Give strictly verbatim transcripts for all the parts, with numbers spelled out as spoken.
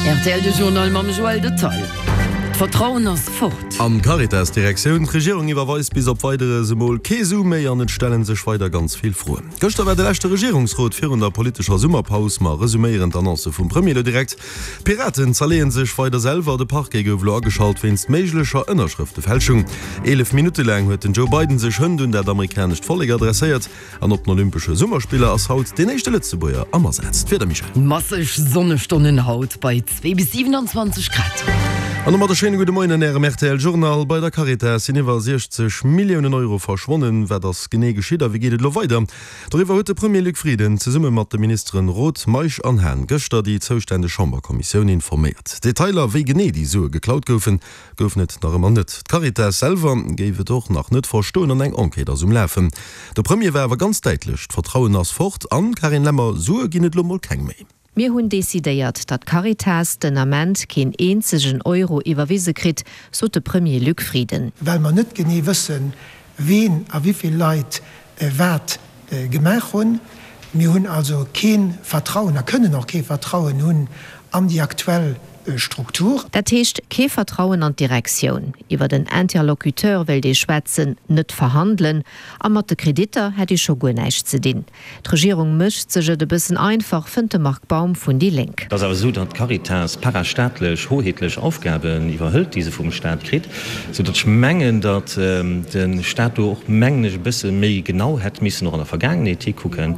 Rtl de Journal mam Joël Detail. D'Vertrauen ass fort. An d'Caritas-Direktioun, D'Regierung iwwerweist bis op Weideres emol kee Su méi an et stelle sech weider ganz vill Froen. Gëschter war de leschte Regierungsrot virun der politescher Summerpaus. Mer resuméieren d'Annoncë vum Premier elo direkt. D'Piraten zerleeë sech weider selwer, de Parquet gouf elo ageschalt wéinst méiglecher Ënnerschrëftefälschung. Eelef Minutte laang huet den Joe Biden sech hënt un dat amerikanescht Vollek adresséiert. An op den Olympesche Summerspiller ass haut deen éischte Lëtzebuerger am Asaz. D'Wieder, Michèle? Masseg Sonnestonnen haut bei zwee bis siwenanzwanzeg Grad. An domat e schéine gudde Moien an Ärem rtl Journal. Bei der Caritas sinn iwwer siechzeg Milliounen Euro verschwonnen. Wat ass genee geschitt a wéi geet et elo weider? Doriwwer huet de Premier Luc Frieden zesumme mat de Ministeren Roth, Meisch an Hahn gëschter déi zoustänneg Chamberkommissioun informéiert. Detailer, wéi genee déi Sue geklaut goufen, goufen et nach ëmmer net. D'Caritas selwer géif et och nach net verstoen an eng Enquête ass um Lafen. De Premier war awer ganz däitlech, D'Vertrauen ass fort an, Carine Lemmer, Sue ginn et lo mol keng méi. Mir hunn decidéiert, datt d'Caritas den Ament keen eenzegen Euro iwwerwise kritt, sot de Premier Luc Frieden. Well mer net genee wëssen, ween a wéi vill Leit wat gemaach hunn. Mir hunn also kee Vertrauen a kënnen och kee Vertrauen hunn an déi aktuell Struktur. Dat heescht, kee Vertrauen an d'Direktioun. Iwwert en Interlocuteur wéilt ee schwätzen, net verhandelen. A mat de Kreditter hätt ee scho guer näischt ze dinn. D'Regierung mécht sech et e bëssen einfach, fënnt de Marc Baum vun déi Lénk. Et ass awer esou, datt d'Caritas parastaatlech, hoheetlech Aufgaben iwwerhëlt, déi se vum Staat kritt, sou datt ech mengen, datt de Staat do och, mengen ech, e bësse méi genau hätt missen och an der Vergaangenheet hikucken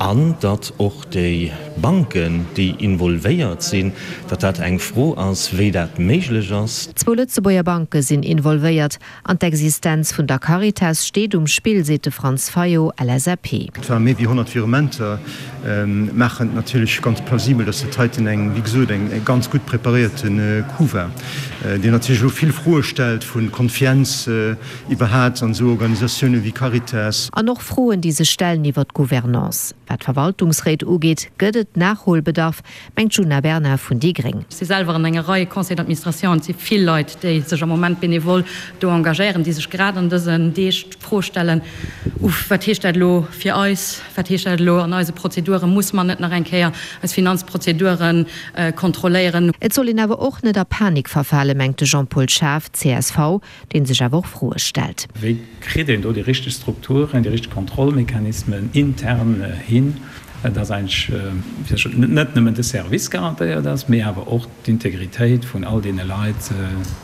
an datt och déi Banken, déi involvéiert sinn, datt dat eng Fro ass, wéi dat méiglech ass. Zwou Lëtzebuerger Banke sinn involvéiert an d'Existenz vun der Caritas steet um Spill, seet de Franz Fayot, L S A P. Et ware méi wéi honnert Virementer, maachen et natierlech ganz plausibel, dass dat heiten eng, wéi gesot, eng ganz gutt preparéierte Coup war, deen natierlech elo vill Froe stellt vu Confiance iwwerhat an esou Organisatioune wéi Caritas. An och Froen, déi sech stellen iwwer d'Gouvernance. Wat d'Verwaltungsréit ugeet, gëtt et Nachholbedarf, mengt d'Djuna Bernard vun déi gréng. Ech si selwer an enger Rei Conseils d'administration an et si vill Leit, déi sech am Moment benevol do engagéieren, déi sech grad an dësen Deeg d'Fro stellen, Uff, wat heescht dat elo fir eis? Wat heescht dat elo an eise Prozeduren? Musse mer net nach eng Kéier eis Finanzprozeduren kontrolléieren? Et soll een awer och net a Panik verfalen, mengt de Jean-Paul Schaaf, C S V, dee sech awer och Froe stellt. Wéi kritt een do déi richteg Strukturen, déi richteg Kontrollmechanismen intern hin, dass eigentlech net nëmmen de Service garantéiert ass, mee awer och d'Integritéit vun all deene Leit,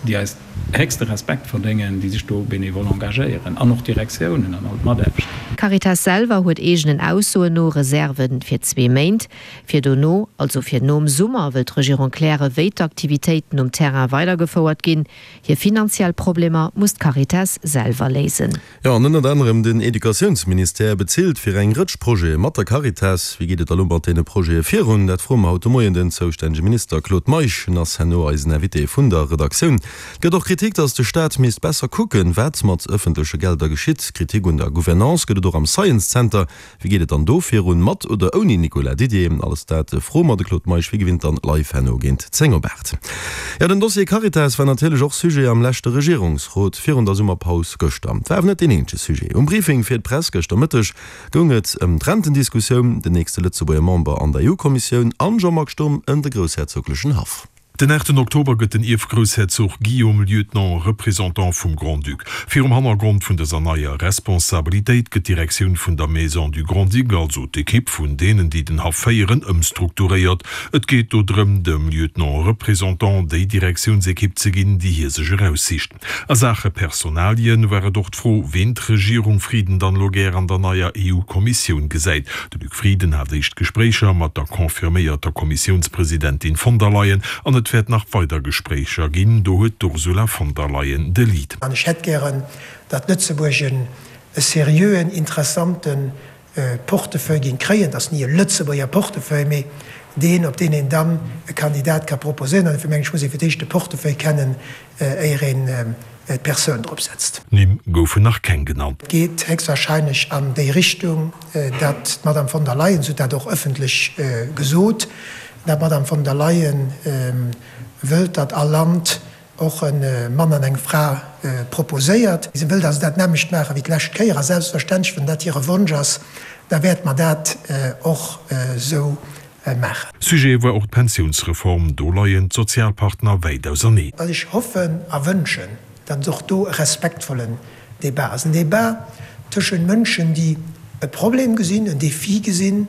déi eis héchste Respekt verdéngen, déi sech do benevol engagéieren, an och d'Direktiounen an all d'Mataarbechter. D'Caritas selwer huet eegenen Aussoen no Reserve fir zwee Méint. Fir dono, also fir nom Summer, wëll d'Regierung klären, wéi d'Aktivitéiten um Terrain weidergefouert ginn. Hir finanziell Problemer muss d'Caritas selwer léisen. Jo, an ënnert anerem den Educatiounsministère bezilt fir eng Rëtsch Projete mat der Caritas. Wéi geet et da lo mat deene Projete virun? Dat froe mer haut de Moien den zoustännege Minister Claude Meisch. En ass herno eisen Invité vun der Redaktioun. Et gëtt och Kritik, datt de Staat misst besser kucken, wat mat ëffentleche Gelder geschitt. Kritik un der Gouvernance gëtt et och am Science Center. Wéi geet et dann do virun, mat oder ouni Nicolas Didier? Alles dat froe mer de Claude Meisch wéi gewinnt dann live herno géint zéng op aacht. Jo, den Dossier Caritas war natierlech och Sujet am leschte Regierungsrot virun der Summerpaus gëschter. Et war awer net deen eenzege Sujet. Um Briefing fir d'Press gëschter Mëtteg goung et ëm d'Rentendiskussioun, den nächste Lëtzebuerger Member an der E U-Kommissioun an Jean-Marc Sturm ëm de groussherzoglechen Haff. Den aachten Oktober gëtt den Ierfgroussherzog Guillaume Lieutenant Représentant vum Grand-Duc. Virum Hannergrond vun dëser neier Responsabilitéit gëtt d'Direktioun vun der Maison du Grand-Duc, also d'Ekipp vun deenen, déi den Haff féieren, ëmstrukturéiert. Et geet do drëm, dem Lieutenant Représentant déi Direktiounsekipp ze ginn, déi hie sech eraussicht. A Saache Personalien war et och d'Fro, ween d'Regierung Frieden dann elo gär an der neier E U-Kommissioun gesäit. De Luc Frieden hat éischt Gespréicher mat der confirméierter Kommissiounspresidentin von der Leyen an et wäert nach weider Gespréicher ginn, do huet d'Ursula von der Leyen de Lead. An ech hätt gären, datt Lëtzebuerg e seriöen, interessante Portefeuille géing kréien. Dat ass ni e Lëtzebuerger Portefeuille, mee deen, op deen een dann e Kandidat ka proposéieren. An dofir mengen ech, muss ee fir d'éischt de Portefeuille kennen, éier een d'Persoun drop setzt. Nimm goufen nach keng genannt. Et geet héchstwahrscheinlech an déi Richtung, datt d'Madame von der Leyen, se huet dat och ëffentlech gesot, datt d'Madame von der Leyen wëllt, datt all Land och e Mann an eng Fra proposéiert. Si wëllt also dat nämmlecht maache wéi d'lescht Kéier. A selbstverständlech, wann dat hire Wonsch ass, da wäerte mer dat och esou maachen. Sujet war och d'Pensiounsreform. Do leien d'Sozialpartner wäit auserneen. Wat ech hoffen a wënschen, datt et och do e respektvollen Débat ass, en Débat tëschent Mënschen, déi e Problem gesinn, en Défi gesinn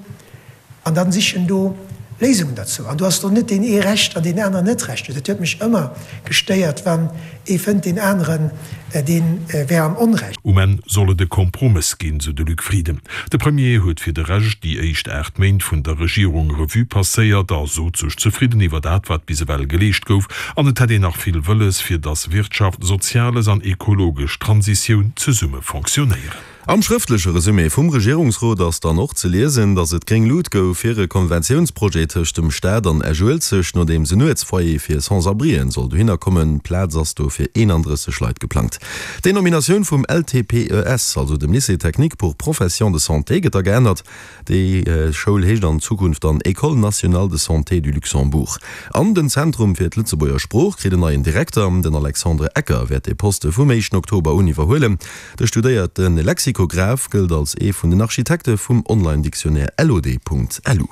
an dann sichen do Léisungen derzou. An do ass do net deen ee Recht an deen aneren net Recht huet. Dat huet mech ëmmer gestéiert, wann ee fënnt, deen aneren, dee wär am Onrecht. Um Enn soll et e Kompromëss ginn, sou de Luc Frieden. De Premier huet fir de Rescht déi éischt aacht Méint vun der Regierung Revue passéiert a sot sech zefridden iwwer dat, wat bis ewell geleescht gouf. An et hätt een nach vill wëlles, fir datt Wirtschaft, Soziales an ekologesch Transitioun zesumme fonctionnéieren. Am schrëftleche Resumé vum Regierungsrot ass dann och ze liesen, datt et gréng Lut gouf fir e Konventiounsprojet tëscht dem Staat an Esch-Uelzecht, nodeems en Nuetsfoyer fir Sans-abrien soll dohinner kommen. Plaz ass do fir eenandrësseg Leit geplangt. D'Denominatioun vum L T P E S, also dem Lycée technique pour professions de santé, gëtt da geännert. Déi Schoul heescht an Zukunft dann École nationale de santé du Luxembourg. An den Zentrum fir d'Lëtzebuerger Sprooch kritt en neien Direkter. Den Alexandre Ecker wäert dee Poste vum éischten Oktober un iwwerhuelen. De studéierte Lexikograph gëllt als ee vun den Architekte vum Online-Dictionnaire L O D Punkt L U.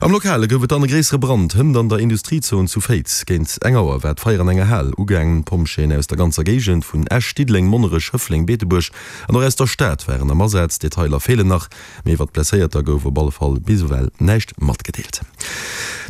Am Lokale gouf et dann e gréissere Brand hënt an der Industriezon zu Féiz. Géint eng Auer war d'Feier an enger Hal ugaangen. D'Pompjeeën aus der ganzer Géigend vun Esch, Diddeleng, Monnerech, Schëffleng, Beetebuerg an och aus der Stad waren am Asaz. Detailer feelen nach, mee iwwer Blesséierter gouf op alle Fall bis ewell näischt matgedeelt.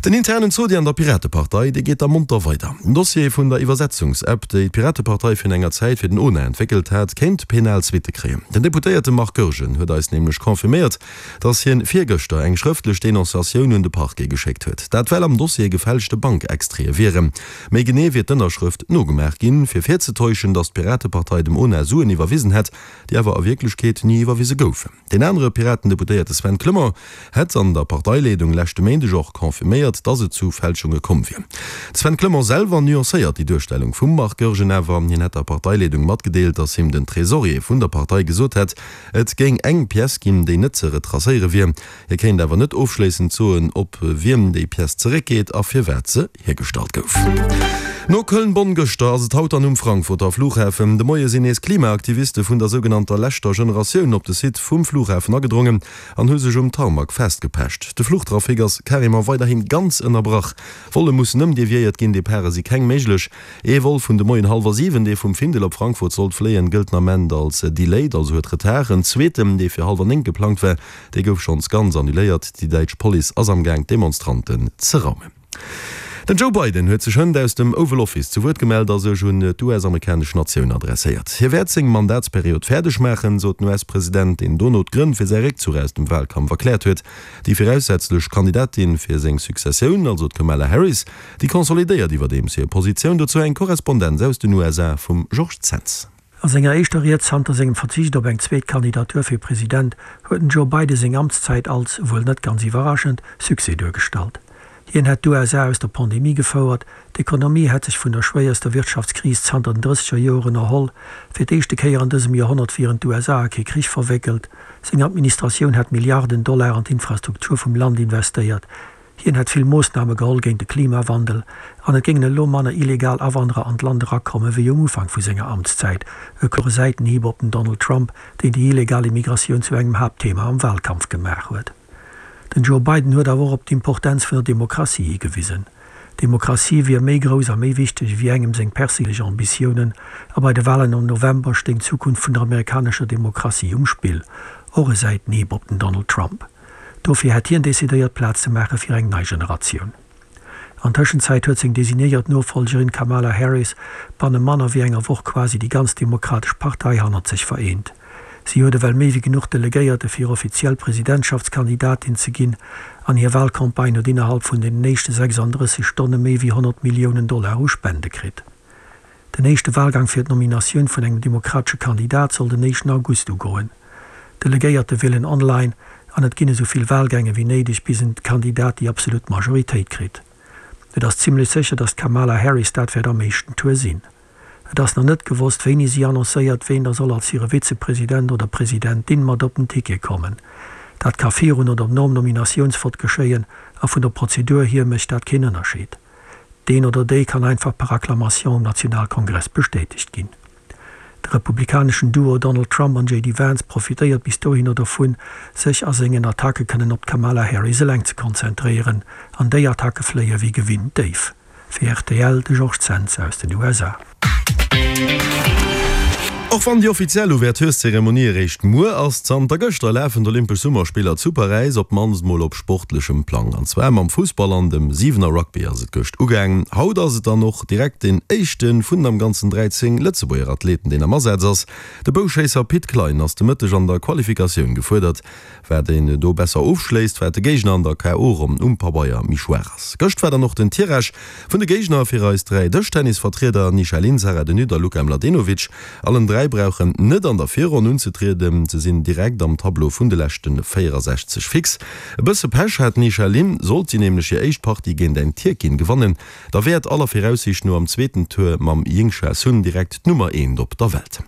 Den internen Zodi an der Piratepartei, dee geet da monter weider. Den Dossier vun der Iwwersetzungs-App, déi d'Piratepartei virun enger Zäit fir den O N A entwéckelt hat, kéint penal Suitte kréien. Den Deputéierte Marc Goergen huet eis nämlech confirméiert, datt hien virgëschter eng schrëftlech Denonciatioun un de Parquet geschéckt huet. Dat well am Dossier gefälschte Bankextraite wieren. Méi genee wier d'Ënnerschrëft nogemaach ginn, fir virzetäuschen, datt d'Piratepartei dem O N A Suen iwwerwisen hätt, déi awer a Wierklechkeet ni iwwerwise goufen. Deen anere Piraten-Deputéierte Sven Clement hätt an der Parteileedung leschte Méindeg och confirméiert, datt et zu Fälschunge komm wier. De Sven Clement selwer nuancéiert déi Duerstellung vum Marc Goergen awer. Hien hätt der Parteileedung matgedeelt, datt him den Tresorier vun der Partei gesot hätt, et géing eng Pièce ginn, déi net ze retracéiere wier. Hie kéint awer net ofschléissend soen, op wiem déi Pièce zeréckgeet a firwat se hiergestallt gouf. No Köln-Bonn gëschter ass et haut dann um Frankfurter Flughafen. De Moie sinn nees Klimaaktiviste vun der sougenannter leschter Generatioun op de Site vum Flughafen agedrongen an hu sech um Tarmac festgepecht. De Fluchtrafic ass carrément weiderhi ganz ënnerbrach. Volle mussen ëmdeviéiert ginn, Departe si keng méiglech. Ee Vol vun de Moien hallwer siwen, dee vum Findel op Frankfurt sollt fléien, gëllt den Ament als delayed, also huet Retard. En zweeten, dee fir hallwer néng geplangt war, dee gouf schonns ganz annuléiert. Déi däitsch Police ass am Gaang d'Demonstranten ze raumen. Den Joe Biden huet sech hënt aus dem Oval Office zu Wuert gemellt a sech un d'U S-amerikanesch Natioun adresséiert. Hie wäert seng Mandatsperiod fäerdeg maachen, sot den U S-President, deen dono d'Grënn fir säi Réckzuch aus dem Walkampf erkläert huet. Déi viraussätzlech Kandidatin fir seng Successioun, also d'Kamala Harris, déi konsolidéiert iwwerdeems hir Positioun. Dozou eng Korrespondenz aus den U S A vum Georges Zens. A senger éischter Ried zanter sengem Verzicht op eng zweet Kandidatur fir President huet den Joe Biden seng Amtszäit als, wuel net ganz iwwerraschend, Succès duergestallt. Hien hätt d'U S A aus der Pandemie gefouert, d'Ekonomie hätt sech vun der schwéierster Wirtschaftskris zanter den drësseger Joren erholl, fir d'éischte Kéier an dësem Joerhonnert wieren d'U S A a kee Krich verwéckelt, seng Administratioun hätt Milliarden Dollar an d'Infrastruktur vum Land investéiert, hien hätt vill Moossname geholl géint de Klimawandel an et géingen elo manner illegal Awanderer an d'Land erakomme wéi um Ufank vu senger Amtszäit, e klore Säitenhieb op den Donald Trump, deen déi illegal Immigratioun zu engem Haaptthema am Walkampf gemaach huet. Den Joe Biden huet awer och op d'Importenz vun der Demokratie higewisen. D'Demokratie wier méi grouss a méi wichteg wéi engem seng perséinlech Ambitiounen, a bei de Walen am November stéing d'Zukunft vun der amerikanescher Demokratie um Spill, och e Säitenhieb op den Donald Trump. Dofir hätt hien decidéiert Plaz ze maache fir eng nei Generatioun. An Tëschenzäit huet seng designéiert Nofollgerin Kamala Harris banne manner wéi enger Woch quasi déi ganz Demokratesch Partei hannert sech vereent. Si huet ewell méi wéi genuch Delegéierte fir offiziell Presidentschaftskandidatin ze ginn an hir Walcampagne huet innerhalb vun den éischte sechsanddrësseg Stonne méi wéi honnert Milliounen Dollar u Spende kritt. Den éischte Walgang fir d'Nominatioun vun engem demokratesche Kandidat soll den éischten August ugoen. D'Delegéierte wielen online an et ginn esou vill Walgäng wéi néideg bis en Kandidat déi absolut Majoritéit kritt. Et ass zimmlech sécher, datt d'Kamala Harris dat wäert am éischten Tour sinn. Et ass nach net gewosst, wéini si annoncéiert, ween da soll als hire Vizepresident oder Presidentin mat op den Ticket kommen. Dat ka virun oder nom Nominatiounsvott geschéien a vun der Prozedur hier mécht dat keen Ënnerscheed. Deen oder déi kann einfach per Acclamation um Nationalkongress bestätegt ginn. De republikaneschen Duo Donald Trump an J D Vance profitéiert bis dohinner dovun, sech a sengen Attacke kënnen op d'Kamala Harris eleng ze konzentréieren. An déi Attacke fléie wéi gewinnt déif. Fir rtl, de Georges Zens aus den U S A. Och wann déi offiziell Ouvertureszeremonie eréischt muer ass, zanter gëschter lafen d'Olympesch Summerspiller zu Paräis, op d'mannst mol op sportlechem Plang. An zwar mam Fussball an dem Siwener Rugby ass et gëscht ugaangen. Haut ass et dann och direkt deen éischte vun am Ganzen dräizéng Lëtzebuerger Athleten, deen am Asaz ass. De Bouschéisser Pit Klein ass de Mëtteg an der Qualifikatioun gefuerdert. Wat een do besser ofschléisst, wat de Géigner an der K O. Ronn um Pabeier méi schwaach ass. Gëscht war dann och den Tirage vun de Géigner fir eis dräi Dëschtennisvertrieder Nisha Lin, Sarah De Nutte a Luka Mladenovic. Allen dräi brauchen net an der Virronn unzetrieden, se sinn direkt am Tableau vun de leschte véierasechzeg fix. E bësse Pech hat d'Nisha Lin, sollt si nämlech hir éischt Partie géint eng Tierkin gewannen, da wär et aller Viraussiicht no am zweeten Tour mam Yingsha Sun direkt d'Nummer eent op der Welt.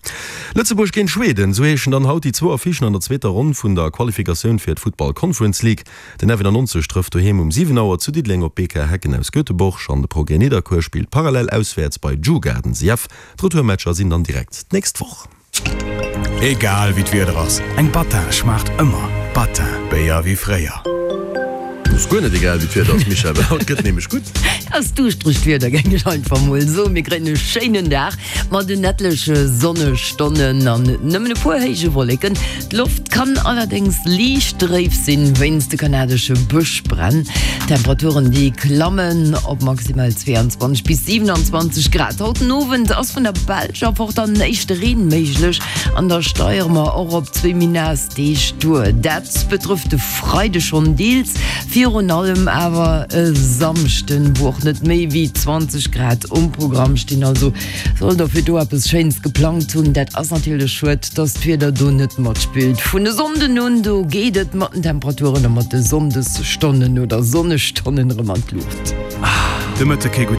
Lëtzebuerg géint Schweden, esou heeschen dann haut déi zwou Affichen an der zweeter Ronn vun der Qualifikatioun fir d'Futtball Conference League. Den F nonnenaanzeg trëfft doheem um siwen Auer zu Diddeleng op B K Häcken aus Göteborg an de Progrès Nidderkuer spillt parallel auswäerts bei Djurgardens I F. D'Retourmatcher sinn dann direkt d'nächst Woch. Egal wéi d'Wieder ass, eng Battin schmaacht ëmmer. Battin, Béier wéi fréier. Ass guer net egal wéi d'Wieder ass, Michèle, well haut gëtt nämlech gutt. Ass duuschteregt Wieder, géing ech einfach mol soen. Mir kréien e schéinen Dag mat en etleche Sonnestonnen an nëmmen e puer héije Wolleken. D'Loft kann allerdéngs liicht dréif sinn wéinst de kanadesche Bëschbränn. D'Temperaturen déi klammen op maximal zweeanzwanzeg bis siwenanzwanzeg Grad. Haut den Owend ass vun der Belsch erfort dann éischte Reen méiglech an da steigere mer och op zwee méi naass Deeg duer. Dat betrëfft de Freide schonn deels, virun allem awer e Samschden, wou och net méi wéi zwanzeg Grad um Programm stinn. Also sollt der fir do eppes Schéins geplangt hunn, dat ass natierlech schued, dass d'Wieder do net matspillt. Vun e Sonnden un, do geet et mat den Temperaturen a mat de Sonndesstonnen oder Sonnestonnen erëm an d'Luucht. De Mëtteg kee gutt.